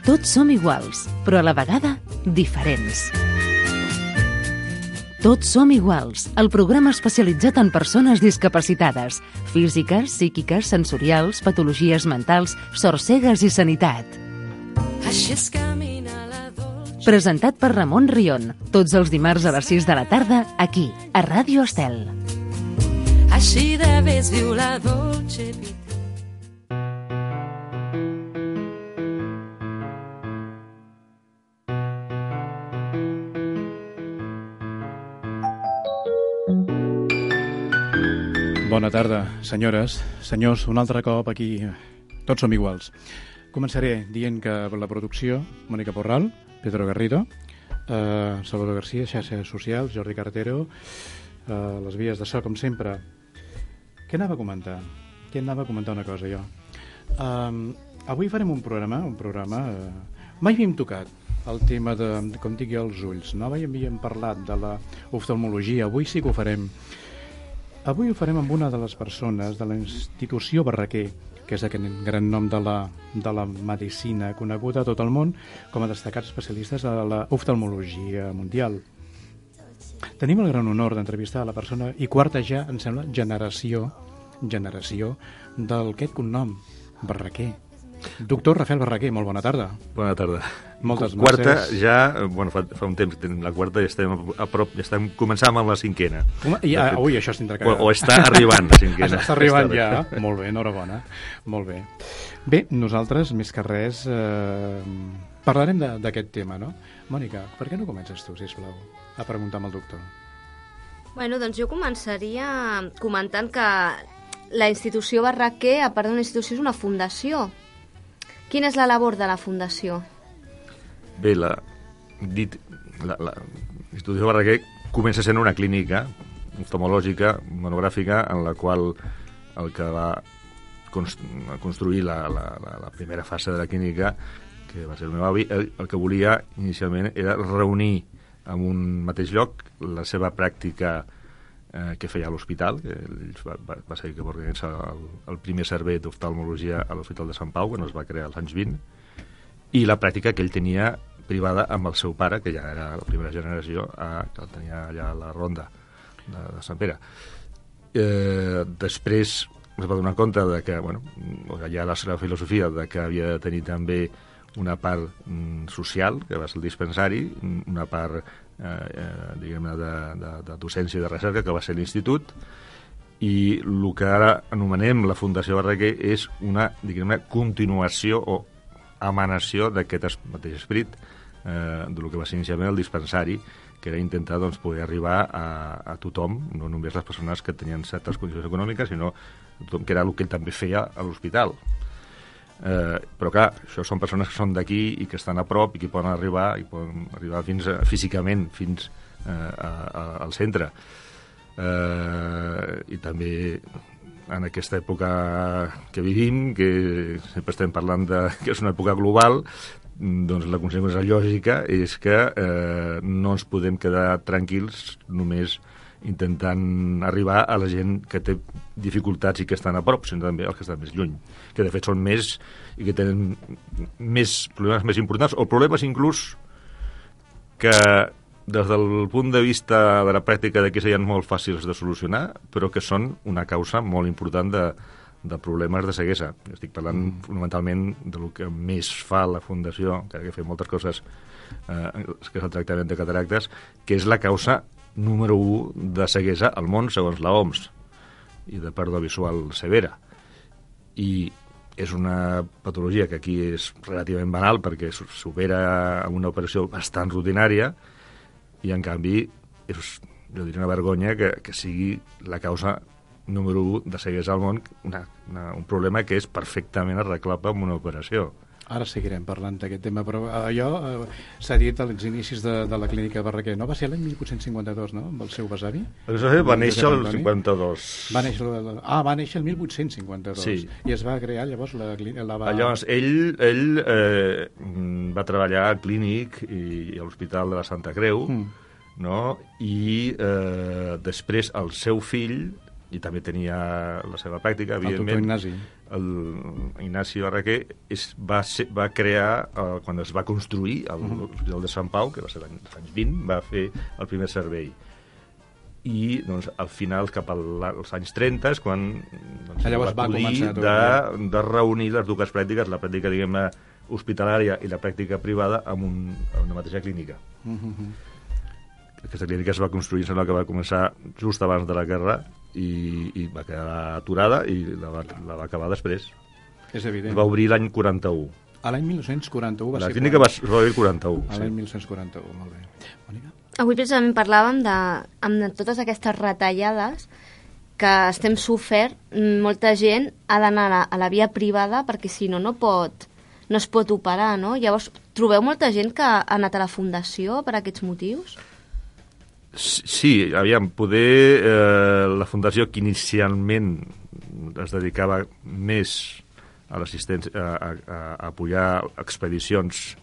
Tots som iguals, però a la vegada diferents. Tots som iguals, el programa especialitzat en persones discapacitades, físiques, psíquiques, sensorials, patologies mentals, sorcegues i sanitat. Presentat per Ramon Rion, tots els dimarts a les 6 de la tarda, aquí, a Ràdio Estel. Així de vez viu la dolce vita. Bona tarda, senyores, senyors, un altre cop aquí. Tots som iguals. Començaré dient que la producció, Mònica Porral, Pedro Garrido, Salvador García, xarxes socials, Jordi Carretero, les vies de so, com sempre. Què anava a comentar? Una cosa, jo. Avui farem un programa... Mai havíem tocat el tema de, com dic jo, els ulls, no? Mai havíem parlat de l'oftalmologia, avui sí que ho farem. Avui ho farem amb una de les persones de la institució Barraquer, que és aquest gran nom de la medicina, coneguda a tot el món com a destacats especialistes de l'oftalmologia mundial. Tenim el gran honor d'entrevistar a la persona, i quarta ja, em sembla, generació d'aquest cognom, Barraquer. Doctor Rafael Barraquer, molt bona tarda. Bona tarda. Moltes quarta, mercès. ja, bueno, fa un temps que tenim la quarta i estem a prop, ja estem començant amb la cinquena. Ui, això s'indra que... O està arribant la cinquena. Està arribant ja, molt bé, enhorabona. Molt bé. Bé, nosaltres, més que res, parlarem d'aquest tema, no? Mònica, per què no comences tu, sisplau, a preguntar amb el doctor? Bueno, doncs jo començaria comentant que la institució Barraquer, a part d'una institució, és una fundació. Quina és la labor de la fundació? Bé, l'Institució Barraquer comença sent una clínica oftalmològica, monogràfica, en la qual el que va construir la primera fase de la clínica, que va ser el meu avi, el que volia inicialment era reunir en un mateix lloc la seva pràctica que feia a l'hospital, que va ser que va organitzar el primer servei d'oftalmologia a l'Hospital de Sant Pau, que no es va crear als anys 20, i la pràctica que ell tenia privada amb el seu pare, que ja era la primera generació, que el tenia allà a la ronda de Sant Pere. Després es va donar compte de que, bueno, ja la seva filosofia de que havia de tenir també una part social, que va ser el dispensari, una part diguem-ne de docència i de recerca, que va ser l'institut, i el que ara anomenem la Fundació Barraquer és una, diguem-ne, continuació o emanació d'aquest mateix esperit del que va ser inicialment el dispensari, que era intentar doncs, poder arribar a tothom, no només les persones que tenien certes condicions econòmiques, sinó a tothom, que era el que ell també feia a l'hospital. Però clar, això són persones que són d'aquí i que estan a prop i que poden arribar fins físicament fins al centre, i també en aquesta època que vivim, que sempre estem parlant que és una època global, doncs la conseqüència lògica és que no ens podem quedar tranquils només intentant arribar a la gent que té dificultats i que estan a prop, sinó també els que estan més lluny, que de fet són més i que tenen més problemes més importants, o problemes inclús que des del punt de vista de la pràctica d'aquí serien molt fàcils de solucionar, però que són una causa molt important de problemes de ceguesa. Estic parlant fonamentalment del que més fa la Fundació, que fa moltes coses, que és el tractament de cataractes, que és la causa número 1 de ceguesa al món, segons la OMS, i de pèrdua visual severa. I és una patologia que aquí és relativament banal perquè s'opera amb una operació bastant rutinària, i en canvi és, jo diria, una vergonya que sigui la causa número 1 de ceguesa al món, un problema que és perfectament arreglable amb una operació. Ara seguirem parlant d'aquest tema, però allò s'ha dit als inicis de la clínica Barraquer, no? Va ser l'any 1852, no?, amb el seu besavi? El besavi va néixer el 52. Va néixer el 1852. Sí. I es va crear llavors la clínica... Llavors, ell va treballar al clínic i a l'Hospital de la Santa Creu, no? I després el seu fill i també tenia la seva pràctica, evidentment. El doctor Ignasi. Ignasi Barraquer va crear, quan es va construir l'Hospital de Sant Pau, que va ser als anys 20, va fer el primer servei. I doncs, al final, cap als anys 30, és quan llavors va començar de reunir les dues pràctiques, la pràctica, diguem-ne, hospitalària i la pràctica privada en una mateixa clínica. Aquesta clínica es va construir, sembla que va començar just abans de la guerra i va quedar aturada i la va acabar després. És evident. Es va obrir l'any 41. A l'any 1941 va ser... La clínica va obrir el 41. A l'any 1941, molt bé. Mònica? Avui precisament parlàvem amb totes aquestes retallades que estem sofert. Molta gent ha d'anar a la via privada perquè si no es pot operar, no? Llavors, trobeu molta gent que ha anat a la fundació per aquests motius? Sí, aviam, poder la fundació que inicialment es dedicava més a l'assistència, a apoyar expedicions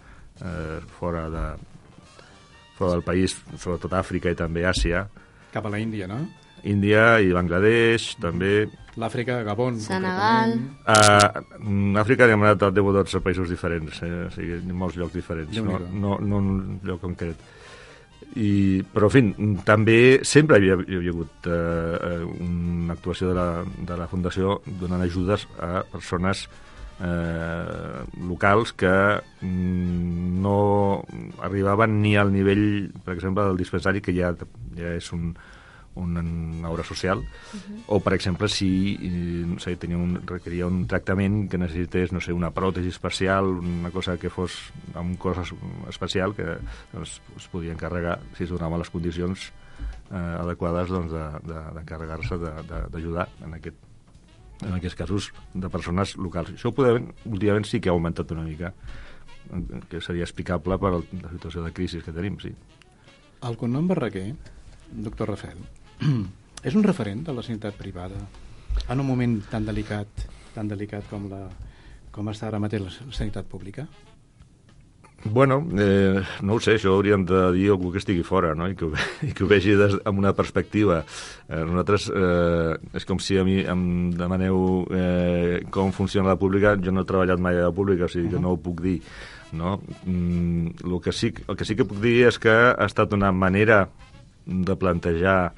fora del país, sobretot Àfrica i també Àsia. Cap a la Índia, no? Índia i Bangladesh, també. L'Àfrica, Gabon. Senegal. Àfrica hem anat a 10 o 12 països diferents, o sigui, en molts llocs diferents, no un lloc concret. Però, en fi, també sempre hi havia hagut una actuació de la Fundació donant ajudes a persones locals que no arribaven ni al nivell, per exemple, del dispensari, que ja és una obra social, o, per exemple, si requeria un tractament que necessités, no sé, una pròtesi especial, una cosa que fos amb un cos especial, que es podia encarregar, si es donaven les condicions adequades, d'encarregar-se d'ajudar en aquests casos de persones locals. Això últimament sí que ha augmentat una mica, que seria explicable per la situació de crisi que tenim, sí. El cognom Barraquer, doctor Rafel, és un referent de la sanitat privada en un moment tan delicat com està ara mateix la sanitat pública? Bueno, no ho sé, això hauríem de dir algú que estigui fora, no? I que ho vegi amb una perspectiva. Nosaltres, és com si a mi em demaneu com funciona la pública. Jo no he treballat mai a la pública, o sigui que no ho puc dir, no? El que sí que puc dir és que ha estat una manera de plantejar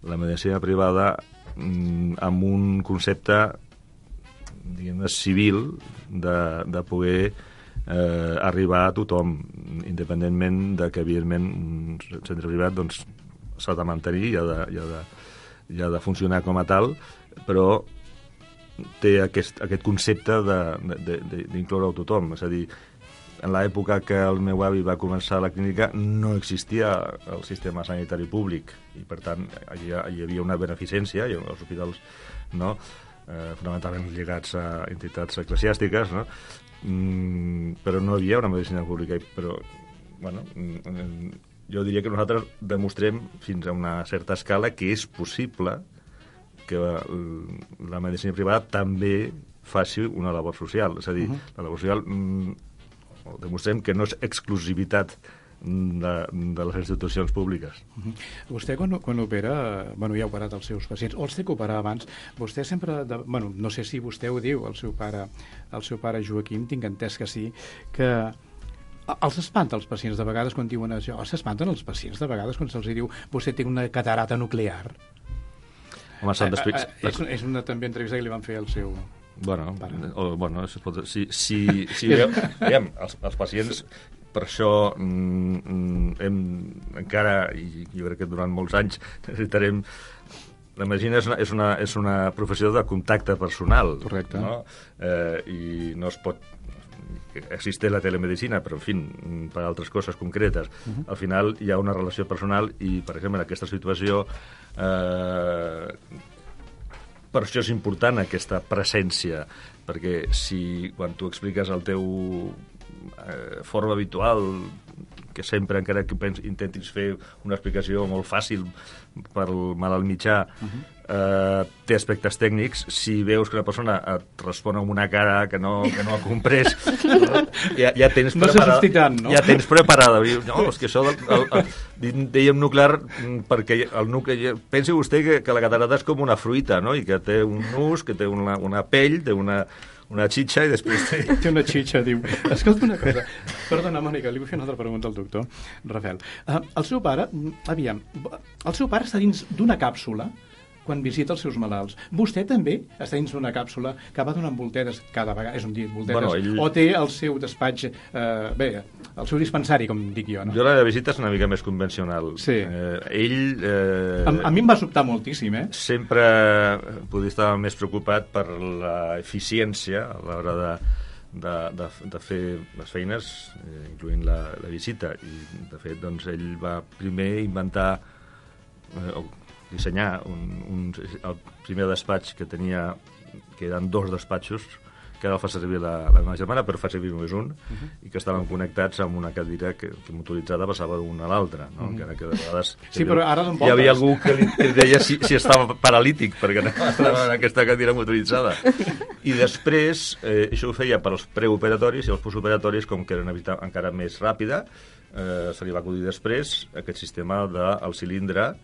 la medicina privada amb un concepte, diguem-ne, civil de poder arribar a tothom, independentment de que, evidentment, un centre privat doncs s'ha de mantenir i ha de funcionar com a tal, però té aquest concepte d'incloure a tothom. És a dir, en l'època que el meu avi va començar la clínica no existia el sistema sanitari públic i, per tant, hi havia una beneficència, i els hospitals, no? Fonamentalment lligats a entitats eclesiàstiques, no? Però no hi havia una medicina pública. Però, bueno, jo diria que nosaltres demostrem fins a una certa escala que és possible que la medicina privada també faci una labor social. És a dir, la labor social demostrem que no és exclusivitat de les institucions públiques. Vostè quan opera, ja ha operat els seus pacients, o els té que operar abans, vostè sempre, no sé si vostè ho diu, el seu pare Joaquim, tinc entès que sí, que els espanta els pacients de vegades quan diuen això, s'espanten els pacients de vegades quan se'ls diu vostè té una catarata nuclear. Home, és una també entrevista que li van fer al seu... Bueno, veiem, els pacients, per això encara, i jo crec que durant molts anys necessitarem... La medicina és una professió de contacte personal. Correcte. No? I no es pot... Existe la telemedicina, però, en fi, per altres coses concretes. Al final hi ha una relació personal i, per exemple, en aquesta situació... Per això és important aquesta presència, perquè si quan tu expliques el teu forma habitual que sempre, encara que intentis fer una explicació molt fàcil per malalt mitjà, té aspectes tècnics. Si veus que una persona et respon amb una cara que no ha comprès, ja tens preparada. Ja tens preparada. No, és que això dèiem nuclear, perquè el nuclear... Pensi vostè que la catarata és com una fruita, no? I que té un nus, que té una pell, té una xitxa i després té una xitxa, diu. Escolta una cosa. Perdona, Mònica, li vull fer una altra pregunta al doctor Rafael. El seu pare està dins d'una càpsula quan visita els seus malalts. Vostè també està dins d'una càpsula que va donant volteres cada vegada, és un dit, volteres, o té el seu despatx, el seu dispensari, com dic jo, no? Jo la visita és una mica més convencional. Sí. Ell... A mi em va sobtar moltíssim, Sempre podia estar més preocupat per l'eficiència a l'hora de fer les feines, incloent la visita. I, de fet, doncs, ell va primer inventar... dissenyar el primer despatx que tenia, que eren 2 despatxos, que ara el fa servir la meva germana, però fa servir només un, i que estaven connectats amb una cadira que motoritzada passava d'una a l'altra, no? Encara que de vegades però ara hi havia algú que li deia si estava paralític, perquè estava en aquesta cadira motoritzada. I després, això ho feia per als preoperatoris, i els postoperatoris, com que era una visita encara més ràpida, se li va acudir després aquest sistema del cilindre,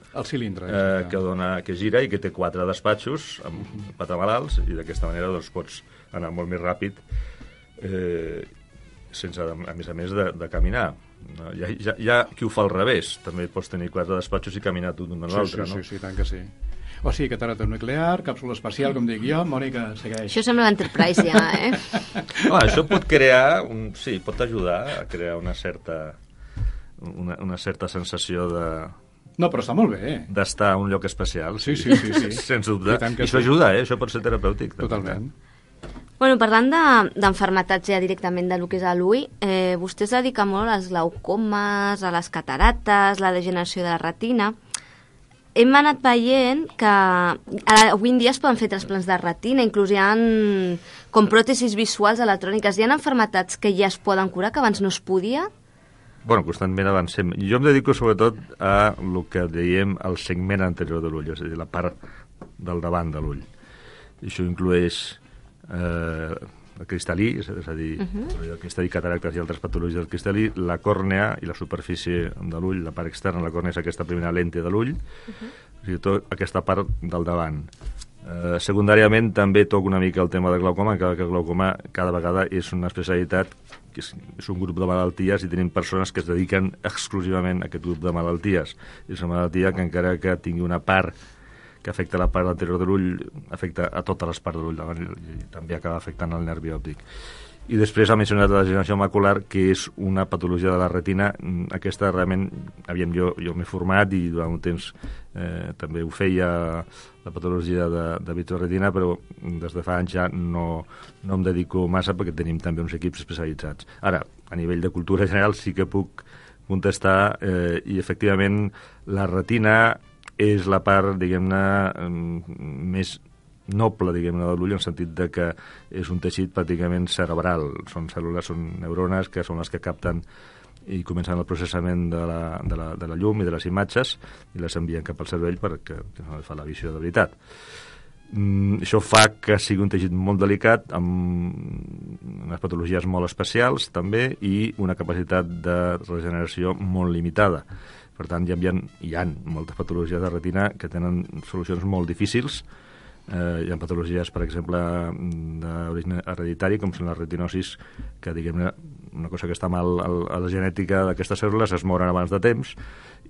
que gira i que té 4 despatxos amb 4 malalts, i d'aquesta manera doncs, pots anar molt més ràpid sense, a més, de caminar. Hi ha qui ho fa al revés, també pots tenir 4 despatxos i caminar tu d'un a l'altre. Sí, tant que sí. O sigui, catarata nuclear, càpsula espacial, com dic jo. Mònica, segueix. Això sembla l'Enterprise ja, Això pot crear, pot ajudar a crear una certa sensació de... No, però està molt bé. D'estar a un lloc especial. Sí. Sens dubte. I això ajuda, això pot ser terapèutic. Totalment. Bueno, parlant d'enfermetats ja directament de lo que és l'ull, vostè es dedica molt als glaucomes, a les catarates, la degeneració de la retina. Hem anat veient que avui en dia es poden fer trasplants de retina, inclús hi ha com pròtesis visuals electròniques. Hi ha enfermetats que ja es poden curar, que abans no es podia? Bueno, constantment avancem. Jo em dedico sobretot a el que dèiem el segment anterior de l'ull, és a dir, la part del davant de l'ull. I això inclueix el cristal·lí, és a dir, el cristal·lí, cataractes i altres patologies del cristal·lí, la còrnea i la superfície de l'ull, la part externa de la còrnea és aquesta primera lente de l'ull, o sigui, tota aquesta part del davant. Secundàriament també toca una mica el tema de glaucoma, encara que el glaucoma cada vegada és una especialitat, que és un grup de malalties, i tenim persones que es dediquen exclusivament a aquest grup de malalties. És una malaltia que encara que tingui una part que afecta la part anterior de l'ull, afecta a totes les parts de l'ull davant i també acaba afectant el nervi òptic. I després ha mencionat la degeneració macular, que és una patologia de la retina. Aquesta realment, jo m'he format i durant un temps també ho feia la patologia de vitreoretina, però des de fa anys ja no em dedico massa perquè tenim també uns equips especialitzats. Ara, a nivell de cultura general sí que puc contestar i efectivament la retina és la part, diguem-ne, més noble, diguem-ne, de l'ull, en el sentit de que és un teixit pràcticament cerebral. Són cèl·lules, són neurones, que són les que capten i comencen el processament de la llum i de les imatges i les envien cap al cervell perquè fa la visió de veritat. Això fa que sigui un teixit molt delicat, amb unes patologies molt especials també i una capacitat de regeneració molt limitada. Per tant, hi ha moltes patologies de retina que tenen solucions molt difícils. Hi ha patologies, per exemple, d'origen hereditari, com són les retinosis, que, diguem-ne, una cosa que està mal a la genètica d'aquestes cèl·lules, es moren abans de temps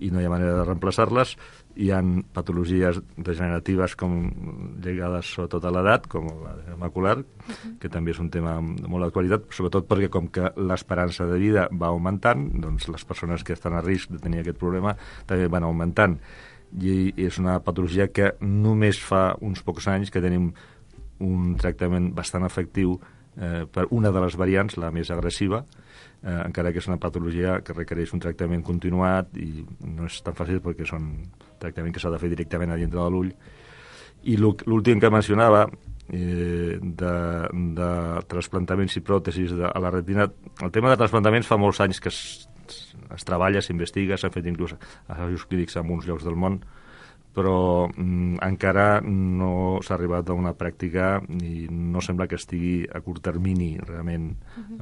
i no hi ha manera de reemplaçar-les. Hi ha patologies degeneratives lligades sobretot a l'edat, com la macular, que també és un tema de molt d'actualitat, sobretot perquè com que l'esperança de vida va augmentant, doncs les persones que estan a risc de tenir aquest problema també van augmentant. I és una patologia que només fa uns pocs anys que tenim un tractament bastant efectiu per una de les variants, la més agressiva, encara que és una patologia que requereix un tractament continuat i no és tan fàcil perquè és un tractament que s'ha de fer directament a dintre de l'ull. I l'últim que mencionava, de trasplantaments i pròtesis a la retina, el tema de trasplantaments fa molts anys que es treballa, s'investiga, s'han fet inclús assajos clínics en uns llocs del món, però encara no s'ha arribat a una pràctica i no sembla que estigui a curt termini realment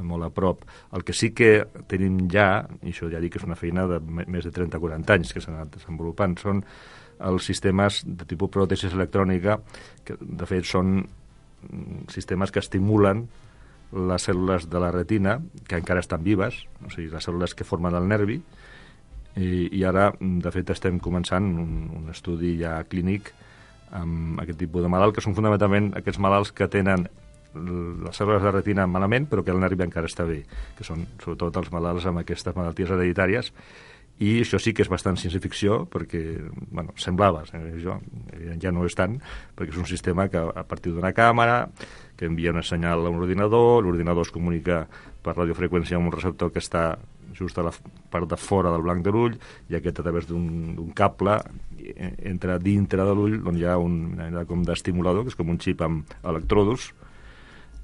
molt a prop. El que sí que tenim ja, i això ja dic que és una feina de més de 30-40 anys que s'han anat desenvolupant, són els sistemes de tipus pròtesis electrònica, que de fet són sistemes que estimulen les cèl·lules de la retina, que encara estan vives, o sigui, les cèl·lules que formen el nervi, i ara, de fet, estem començant un estudi ja clínic amb aquest tipus de malalt, que són fonamentalment aquests malalts que tenen les cèl·lules de retina malament, però que el nervi encara està bé, que són sobretot els malalts amb aquestes malalties hereditàries, i això sí que és bastant ciència-ficció, perquè, bueno, semblava, ja no és tant, perquè és un sistema que a partir d'una càmera, que envia un senyal a un ordinador, l'ordinador es comunica per radiofreqüència amb un receptor que està just a la part de fora del blanc de l'ull, i aquest a través d'un cable entra dintre de l'ull, on hi ha una mena com d'estimulador, que és com un xip amb electrodos,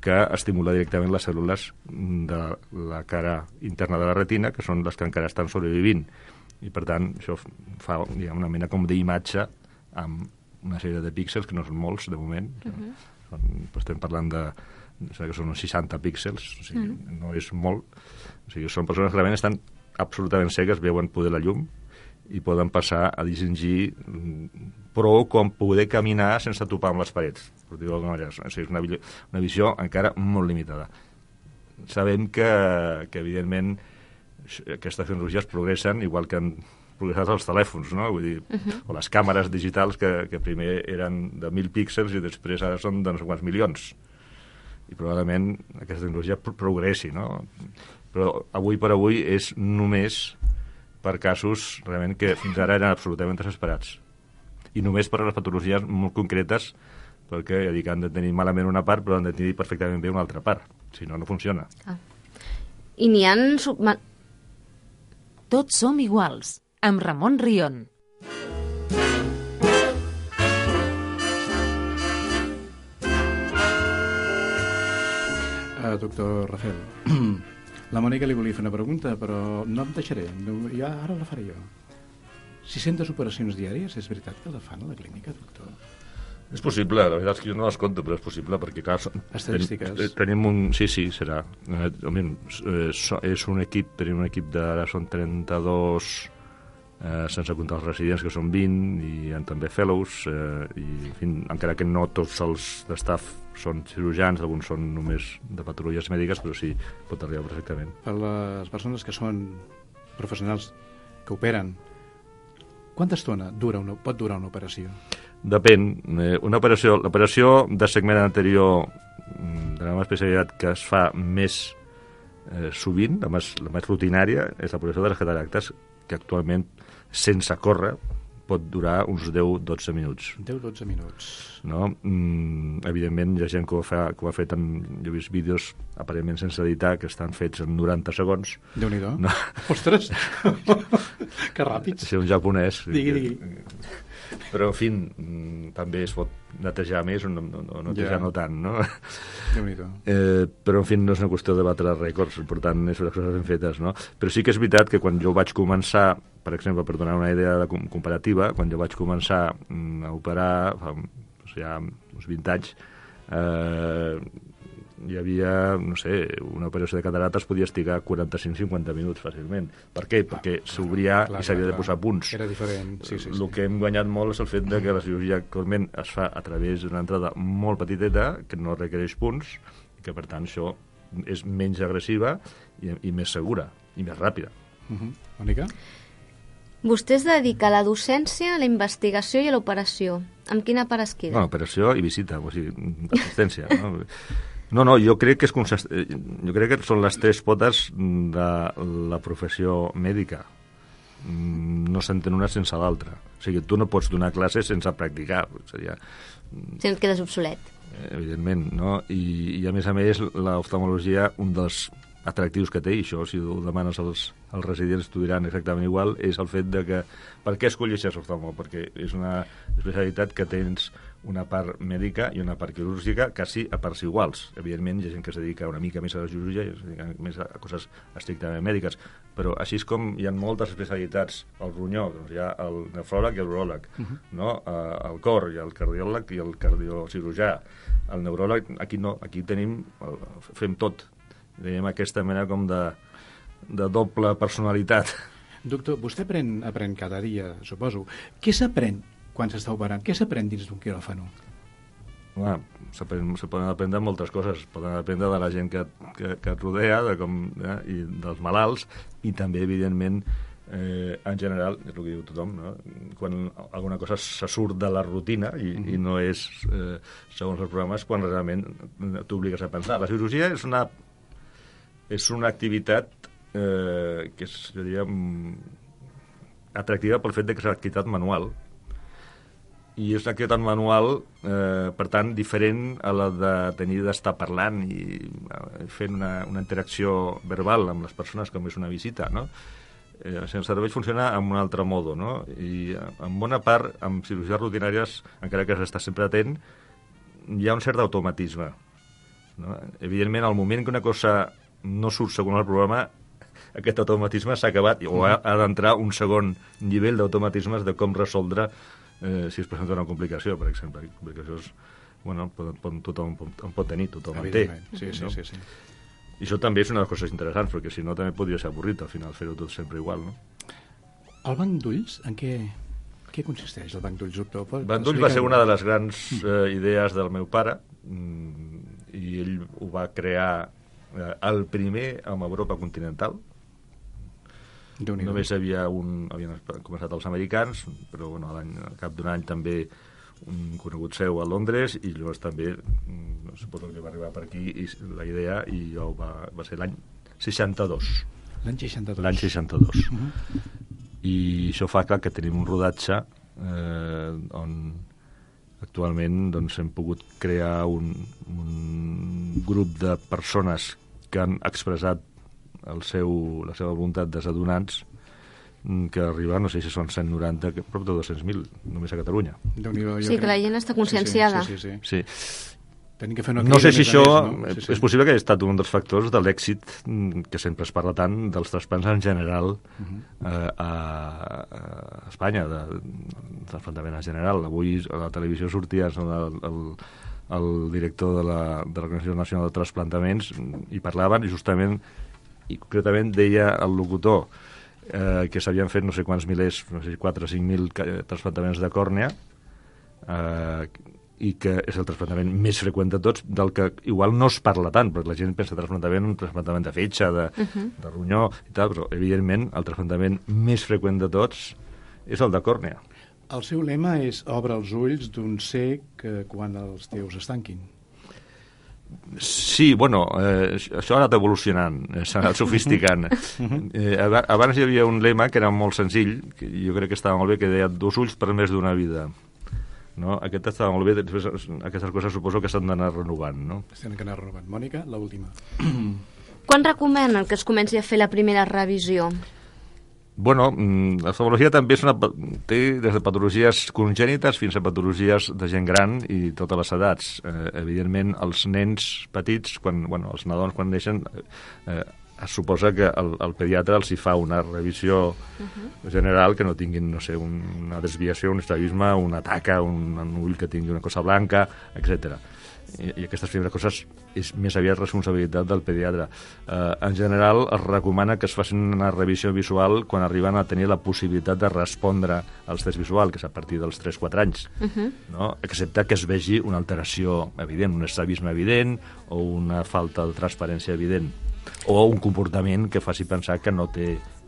que estimula directament les cèl·lules de la cara interna de la retina, que són les que encara estan sobrevivint. I, per tant, això fa una mena com d'imatge amb una sèrie de píxels, que no són molts, de moment. Estem parlant que són uns 60 píxels, o sigui, no és molt. O sigui, són persones que realment estan absolutament cegues, veuen poder la llum, i poden passar a distingir prou com poder caminar sense topar amb les parets, per dir-ho d'alguna manera. O sigui, és una visió encara molt limitada. Sabem que evidentment, aquestes tecnologies progressen, igual que han progressat els telèfons, no? Vull dir, o les càmeres digitals que primer eren de 1.000 píxels i després ara són de no sé quants milions. I probablement aquesta tecnologia progressi, no? Però avui per avui és només per casos realment que fins ara eren absolutament desesperats. I només per a les patologies molt concretes, perquè ja dic, han de tenir malament una part, però han de tenir perfectament bé una altra part. Si no, no funciona. I n'hi ha... Tots som iguals, amb Ramon Rion. Doctor Rafael, la Mònica li volia fer una pregunta, però no em deixaré, ja ara la faré jo. 600 operacions diàries, és veritat que la fan a la clínica, doctor? És possible, la veritat és que jo no les compto, però és possible, perquè clar... Estadístiques. Tenim un... Sí, serà. És un equip, tenim un equip d'ara són 32, sense comptar els residents, que són 20, i hi ha també fellows, i en fi, encara que no tots els d'estaf són cirurgians, alguns són només de patologies mèdiques, però sí, pot arribar perfectament. Per les persones que són professionals que operen, quanta estona pot durar una operació? Depèn. L'operació de segment anterior de la meva especialitat que es fa més sovint, la més rutinària, és l'operació de les cataractes, que actualment, sense córrer, pot durar uns 10-12 minuts. 10-12 minuts. No? Evidentment, hi ha gent que ho ha fet jo he vist vídeos aparentment sense editar que estan fets en 90 segons. Déu-n'hi-do. No. Ostres! Que ràpids. Ser un japonès. Digui. Però, en fi, també es pot netejar més o netejar no tant, no? Déu-n'hi-do. Però, en fi, no és una qüestió de batre rècords, per tant, és les coses ben fetes, no? Però sí que és veritat que quan jo vaig començar, per exemple, per donar una idea comparativa, quan jo vaig començar a operar, ja uns 20 anys, hi havia, no sé, una operació de cataractes podia estigar 45-50 minuts fàcilment. Per què? Perquè s'obria i s'havia de posar punts. Era diferent, sí. El que hem guanyat molt és el fet de que la cirurgia actualment es fa a través d'una entrada molt petiteta, que no requereix punts, i que, per tant, això és menys agressiva i més segura, i més ràpida. Mònica? Vostè es dedica a la docència, a la investigació i a l'operació. Amb quina part es queda? Bueno, operació i visita, o sigui, assistència. No, jo crec que jo crec que són les tres potes de la professió mèdica. No s'entén una sense l'altra. O sigui, tu no pots donar classes sense practicar. Seria... Si et quedes obsolet. Evidentment, no? I a més, l'oftalmologia, un dels atractius que té, i això, si ho demanes als residents, t'ho diran exactament igual, és el fet de que... Per què escolleixes oftalmo? Perquè és una especialitat que tens una part mèdica i una part quirúrgica, quasi a parts iguals. Evidentment, hi ha gent que es dedica una mica més a la cirurgia i es dedica més a coses estrictament mèdiques, però així és com hi ha moltes especialitats. El ronyó, doncs hi ha el nefròleg i el uròleg, no? El cor, hi ha el cardiòleg i el cardiocirurgià. El neuròleg, aquí no, aquí fem tot. Dèiem aquesta mena com de doble personalitat. Doctor, vostè aprèn cada dia, suposo. Què s'aprèn quan s'està operant? Què s'aprèn dins d'un quiròfano? Se poden aprendre moltes coses. Poden aprendre de la gent que et rodea, i dels malalts, i també, evidentment, en general, és el que diu tothom, no? Quan alguna cosa se surt de la rutina i no és segons els programes, quan realment t'obligues a pensar. La cirurgia és una activitat que seria atractiva pel fet de que és una activitat manual, i és una activitat manual, per tant, diferent a la d'estar parlant i fent una interacció verbal amb les persones, com és una visita, no? El cervell funciona amb un altre modo, no? I en bona part, amb cirurgies rutinàries, encara que s'està sempre atent, hi ha un cert automatisme, no? Evidentment, al moment que una cosa no surt segons el programa, aquest automatisme s'ha acabat, o ha d'entrar un segon nivell d'automatismes de com resoldre si es presenta una complicació, per exemple. Complicacions, bueno, tothom pot tenir, tothom en té. Sí. I això també és una de les coses interessants, perquè si no també podria ser avorrit, al final, fer-ho tot sempre igual, no? El banc d'ulls, en què consisteix, el banc d'ulls, doctor? El banc d'ulls va ser una de les grans idees del meu pare, i ell ho va crear el primer amb Europa continental. Només havien començat els americans, però bueno, al cap d'un any també un conegut seu a Londres, i llavors també suposo que va arribar per aquí la idea, i jo va ser l'any 62. L'any 62. L'any 62. I això fa que tenim un rodatge on actualment doncs, hem pogut crear un grup de persones que han expressat la seva voluntat des de donants, que arriba, no sé si són 190, prop de 200.000, només a Catalunya. Sí, que la gent està conscienciada. Sí. Tenim que fer una no sé si això és possible que hagi estat un dels factors de l'èxit que sempre es parla tant dels trasplants en general a Espanya, del trasplantament en general. Avui a la televisió sortia el director de l'Organització Nacional de Trasplantaments i parlaven, i justament i concretament deia el locutor que s'havien fet no sé quants milers, no sé, 4 o 5.000 trasplantaments de còrnea, i que és el trasplantament més freqüent de tots, del que igual no es parla tant, perquè la gent pensa trasplantament, un trasplantament de fetge, de ronyó i tal, però evidentment el trasplantament més freqüent de tots és el de còrnea. El seu lema és obre els ulls d'un cec quan els teus es tanquin. Sí, bueno, això ha anat evolucionant, s'ha anat sofisticant. Abans hi havia un lema que era molt senzill, que jo crec que estava molt bé, que deia 2 ulls per més d'una vida. No? Aquest estava molt bé, després aquestes coses suposo que s'han d'anar renovant, no? S'han d'anar renovant. Mònica, l'última. Quan recomanen que es comenci a fer la primera revisió? Bueno, l'oftalmologia també té des de patologies congènites fins a patologies de gent gran i totes les edats. Evidentment, els nens petits, els nadons quan neixen, es suposa que el pediatre els hi fa una revisió general que no tinguin, no sé, una desviació, un estrabisme, una taca, un ull que tingui una cosa blanca, etc. I aquestes primeres coses és més aviat responsabilitat del pediatre. En general, es recomana que es facin una revisió visual quan arriben a tenir la possibilitat de respondre als tests visuals, que és a partir dels 3-4 anys, no? Excepte que es vegi una alteració evident, un estrabisme evident o una falta de transparència evident, o un comportament que faci pensar que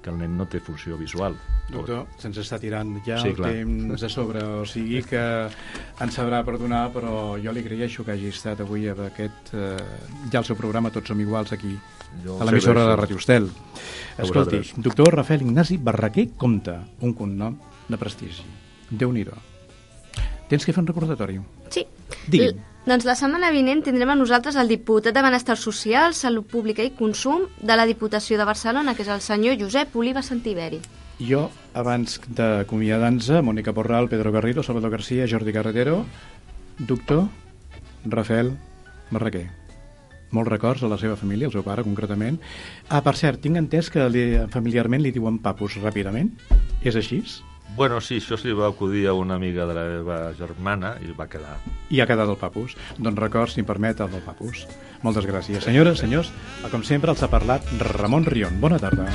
el nen no té funció visual. Doctor, se'ns està tirant ja el temps a sobre, o sigui que ens sabrà perdonar, però jo li agraeixo que hagi estat avui a aquest, ja el seu programa Tots som iguals aquí, a l'emissora de Ràdio Estel. Escolti, doctor Rafael Ignasi Barraquer Compte, un cognom de prestigi. Déu-n'hi-do. Tens que fer un recordatori? Sí. Digui'm. Doncs la setmana vinent tindrem a nosaltres el diputat de Benestar Social, Salut Pública i Consum de la Diputació de Barcelona, que és el senyor Josep Oliva Santiberi. Jo, abans d'acomiadar-nos, Mònica Porral, Pedro Garrido, Salvador García, Jordi Carretero, Doctor Rafael Barraquer. Molts records a la seva família, al seu pare concretament. Per cert, tinc entès que familiarment li diuen papus ràpidament. És així? Bueno, sí, això se li va acudir a una amiga de la meva germana i va quedar. I ha quedat el papus. Doncs records, si em permet, el del papus. Moltes gràcies. Senyores, senyors, com sempre els ha parlat Ramon Rion. Bona tarda.